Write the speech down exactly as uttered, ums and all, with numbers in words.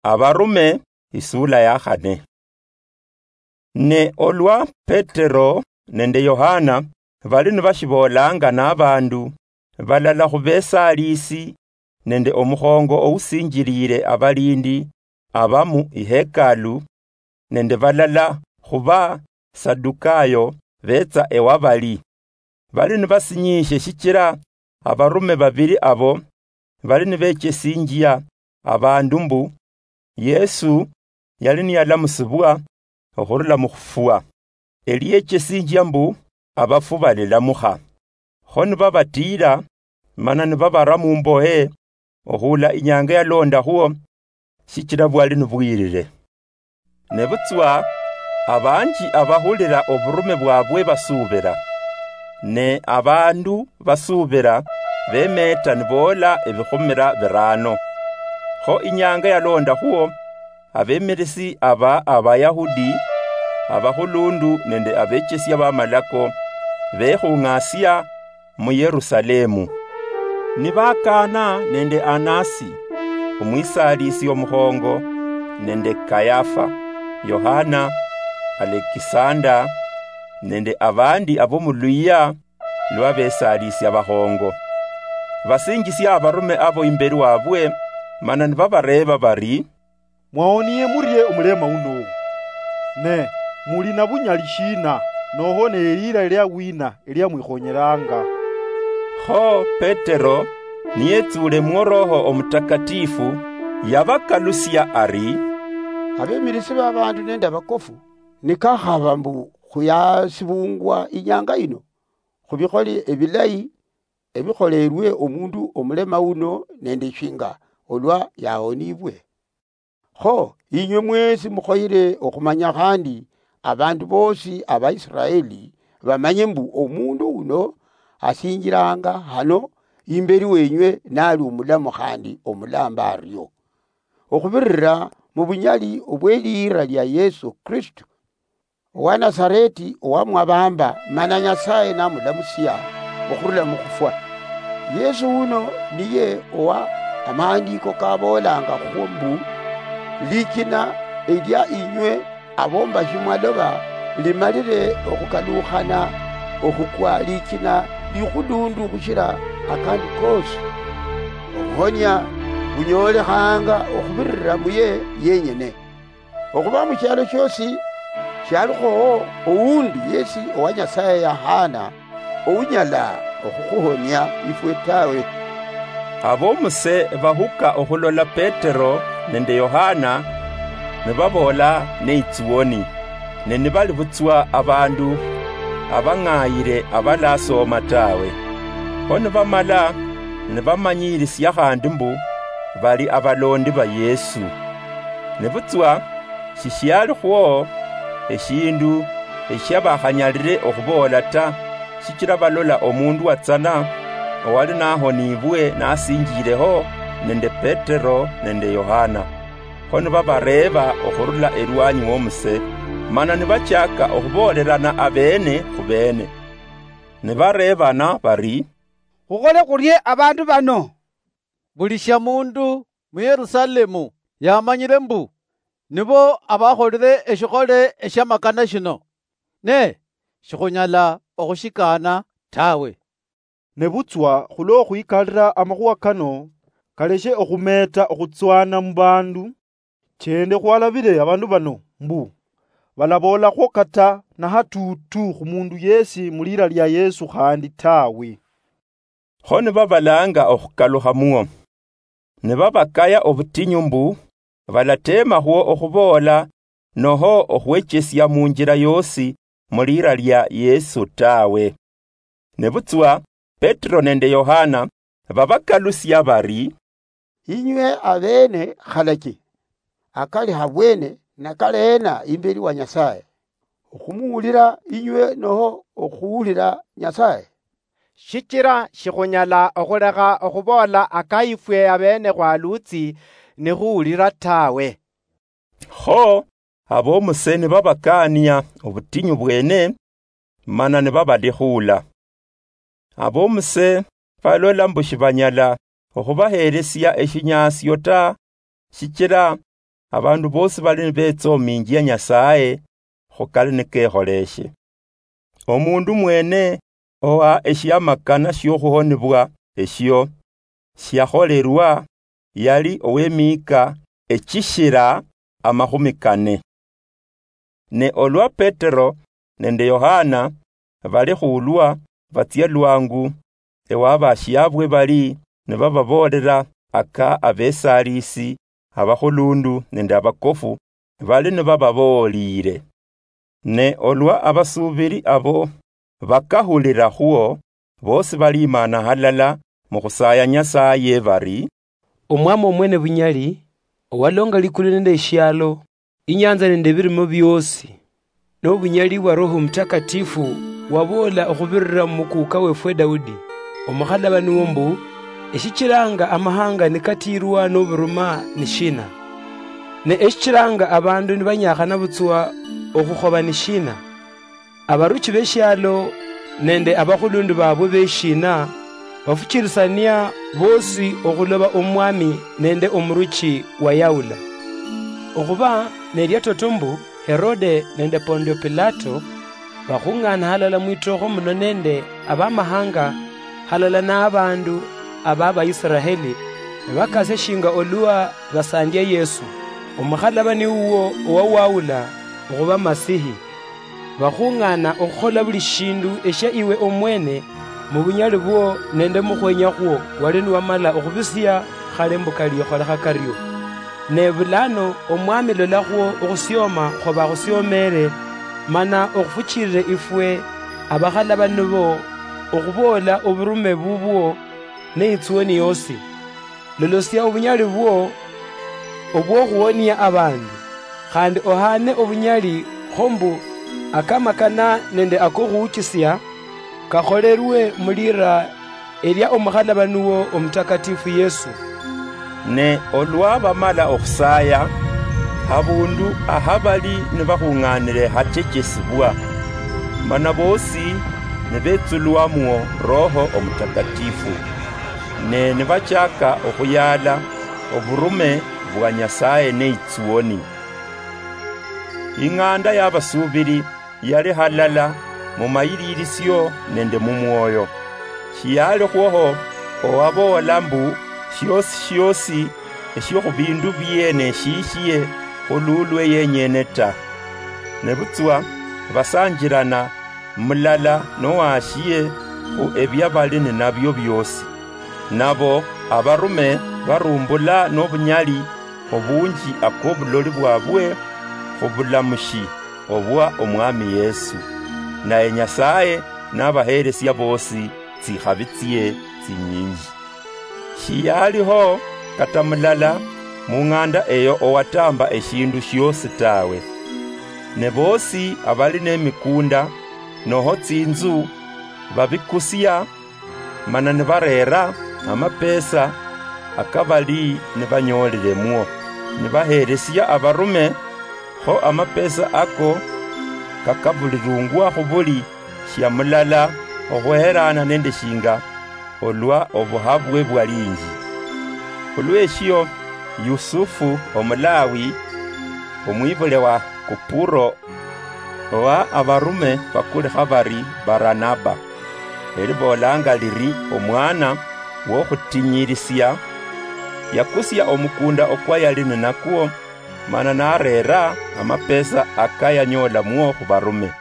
Abarume, isula ya khane. Ne olwa Petero nende Yohana bali nibashiboolanga nabandu, balala khubesaalisi nende omukhongo ousinjilile abalindi abamu ihekalu, nende balala khuba Sadukayo betsa ewabali. Bali nibasinyiishe shichila abarume babili abo bali nibechesinjia abandu mbu Yesu yali niyalamusibwa okhurula mukhufwa. Eliechesinjia mbu abafu balilamukha. Kho nibabatiila, mana nibabara mumbohe, okhuula inyanga yalondakhwo, shichila bwali nibwirire. Nebutswa abanji abahulila oburume bwabwe basuubila, ne abandu basuubila bemeeta niboola ebikhumila birano. Kho inyanga yalondakhwo, abemirisi aba Abayahudi, abakhulundu nende abechesia bamalako bekhung'asia mu Yerusalemu. Nibakana nende Anasi, omwisalisi omukhongo, nende Kayafa, Yohana, Alekisanda, nende abandi abo muluyia lwa besalisi abakhongo. Basinjisia abarume abo imberi wabwe, mana nibabareeba bari, "Mwahonie murie omulema uno? Ne muli na bunyali shina, noho ne elira elia wina elia mwikhonyelanga?" Kho Petero, niyetsule mu Roho Omutakatifu, yabakalusia ari, "Abemirisi b'abandu nende abakofu, nikakhaba mbu khuyasibungwa inyanga yino khubikhole ebilayi ebikholerwe omundu omulema uno nende shinga olwa yahonibwe. Kho inywe mwesi mukhoyere okhumanya khandi abandu bosi Abaisiraeli bamanye mbu omundu uno asinjilanga hano imberi wenywe nali omulamu khandi omulamba ario, okhubirira mu bunyali obwelira lia Yesu Kristo owa Nasareti owamwabamba, mana Nyasaye namulamusia okhurula mukhufwa. Yesu uno niye owa amaandiko kaboolanga khwo mbu, likina elia inywe abombashi mwaloba limalire okhukalukhana okhukwa likina likhulundu khushira akandi kosi. Obuhonia bunyolekhanga okhubirira muye yenyene. Okhuba mu shialo shiosi shialikhowo owundi yesi owa Nyasaye yahana, ounyala okhukhuhonia ifwe tawe." Abomuse bahuka okhulola Petero nende Yohana, nibaboola neitsuoni, ne nibali butswa abandu abang'ayire abalasoma tawe. Kho nibamala nibamanyirisia khandi mbu bali abalondi ba Yesu. Nebutswa shishialikhwo eshindu eshiabakhanyalire okhuboola ta, shichila balola omundu watsana owali nahonibwe nasinjileho nende Petero nende Yohana. Kho nibabareeba okhurula elwanyi womuse, mana nibachaka okhuboolerana abeene khubeene. Nibareebana bari, "Khukhole khurie abandu bano? Buli shia mundu mu Yerusalemu yamanyire mbu nibo abakholire eshikhole eshiamakana shino, ne shikhunyala okhushikaana tawe." Nebutswa khulwokhwikalira amakhuwa kano kaleshe okhumeeta okhutswana mubandu, chende khwalabire abandu bano mbu balaboolakhwo kata nahatuutu khumundu yesi mulira lia Yesu khandi tawe. Kho nibabalanga okhukalukha muo, nibabakaya obutinyu mbu balateemakhwo okhuboola noho okhwechesia munjila yoosi mulira lia Yesu tawe. Nebutswa Petero nende Yohana babakalusia bari, "Inywe abeene khalachi, akali habwene nakaleena imberi wa Nyasaye, okhumuwulira inywe noho okhuwulira Nyasaye? Shichira shikhunyala okhulekha okhuboola aka ifwe abeene khwalutsi nikhuwulira tawe." Kho abomuse nibabakaania obutinyu bwene, mana nibabalikhuula. Abomuse balola mbu shibanyala okhubaheelesia eshinyaasio ta, shichila abandu bosi bali nibetsominjia Nyasaye khukali nikekholeshe. Omundu mwene owa eshiamakana shiokhuhonibwa eshio shiakholerwa yali owemihika echishira amakhumi kane. Ne olwa Petero nende Yohana bali khulwa batsia lwangu ewa bashiabwe bali nibababoolera aka abesalisi abakhulundu nende abakofu bali nibababoolire. Ne olwa abasubiri abo bakahulirakhwo, bosi balimana halala mukhusaya Nyasaye bari, "Omwami omwene bunyali, owalonga likulu nende eshialo, inyanza nende ebirimo biosi, nobunyali bwa Roho Mutakatifu waboola okhubirira mumukuka wefwe Daudi, omukhalabani wo mbu, eshichiranga amahanga nikatiirwa noburuma nishina? Ne eshichiranga abandu nibanyakhana butswa okhukhoba nishina? Abaruchi beshialo nende abakhulundu babwe beshina bafuchirisania bosi okhuloba omwami nende omuruchi wayawula?" Okhuba nelia toto mbu Herode nende Pondio Pilato bakhung'ana halala mwitokho muno nende abamahanga halala nabandu aba Baisraeli, nibakasia shinga olwa basandia Yesu, omukhalabani wuwo owawawula okhuba Masihi. Bakhung'ana okhukhola buli shindu eshia iwe omwene mubunyali bwo nende mukhwenya khwo wali niwamala okhubisia khale mbu kalikholekha kario. Ne bulano omwami lolakhwo okhusioma khwabakhusiomere, mana okhufuchirire ifwe abakhalabani bo okhuboola oburume bubwo neitsuoni yosi. Lolosia obunyali bwo obwokhuwonia abandu, khandi ohane obunyali kho mbu akamakana nende akokhuuchisia kakholerwe mulira elia omukhalabani wo omutakatifu Yesu. Ne olwa bamala okhusaya, habundu ahabali nibakhung'anire hachechesibwa, mana bosi nibetsulwamwo Roho Omutakatifu, ne nibachaka okhuyala oburume bwa Nyasaye neitsuoni. Ing'anda yabasubiri yali halala mumayililisio nende mumwoyo. Shiyalikhwoho owaboola mbu shiosi shiosi eshio khubindu biene shiishie khululwe yenyene ta. Nebutswa basanjirana mulala nowashie khu ebia bali ninabio biosi. Nabo abarume barumbula nobunyali obunji akobuloli bwabwe khubulamushi obwa Omwami Yesu. Naye Nyasaye nabaheresia bosi tsikhabi tsie tsinyinji. Shiyaliho kata mulala mung'anda eyo owatamba eshindu shiosi tawe. Ne bosi abali nemikunda noho tsinzu babikusia, mana nibarera amapesa akabali nibanyoliremwo, nibaheresia abarume, kho amapesa ako kakabulirungwa khubuli shia mulala okhweherana nende shinga olwa obuhabwe bwalinji. Khulweshio, Yusufu Omulawi, omwibule wa Kupuro, owa abarume bakulikha bari Baranaba, eliboolanga liri omwana wokhutinyirisia, yakusia omukunda okwa yali ninakwo, mana narera amapesa akayanyoolamwo khubarume.